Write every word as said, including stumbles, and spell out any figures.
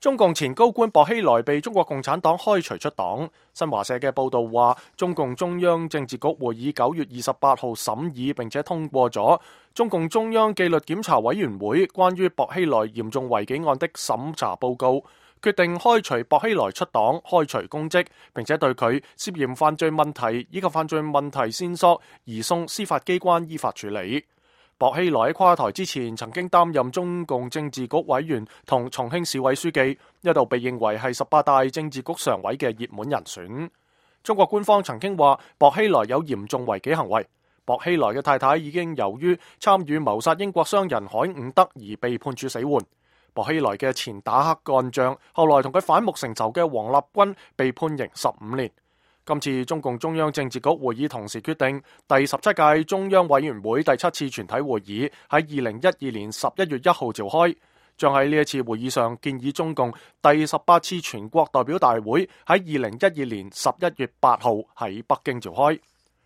中共前高官薄熙來被中國共產黨開除出黨。新華社嘅報道話，中共中央政治局會議九月二十八號審議並且通過咗中共中央紀律檢查委員會關於薄熙來嚴重違紀案的審查報告，決定開除薄熙來出黨、開除公職，並且對佢涉嫌犯罪問題以及犯罪問題線索移送司法機關依法處理。薄熙來喺垮台之前曾經擔任中共政治局委員同重慶市委書記，一度被認為係十八大政治局常委嘅熱門人選。中國官方曾經話薄熙來有嚴重違紀行為。薄熙來嘅太太已經由於參與謀殺英國商人海伍德而被判處死緩。薄熙來嘅前打黑幹將，後來同佢反目成仇嘅王立軍被判刑十五年。今次中共中央政治局會議同時決定，第十七屆中央委員會第七次全體會議喺二零一二年十一月一號召開，將喺呢一次會議上建議中共第十八次全國代表大會喺二零一二年十一月八號喺北京召開。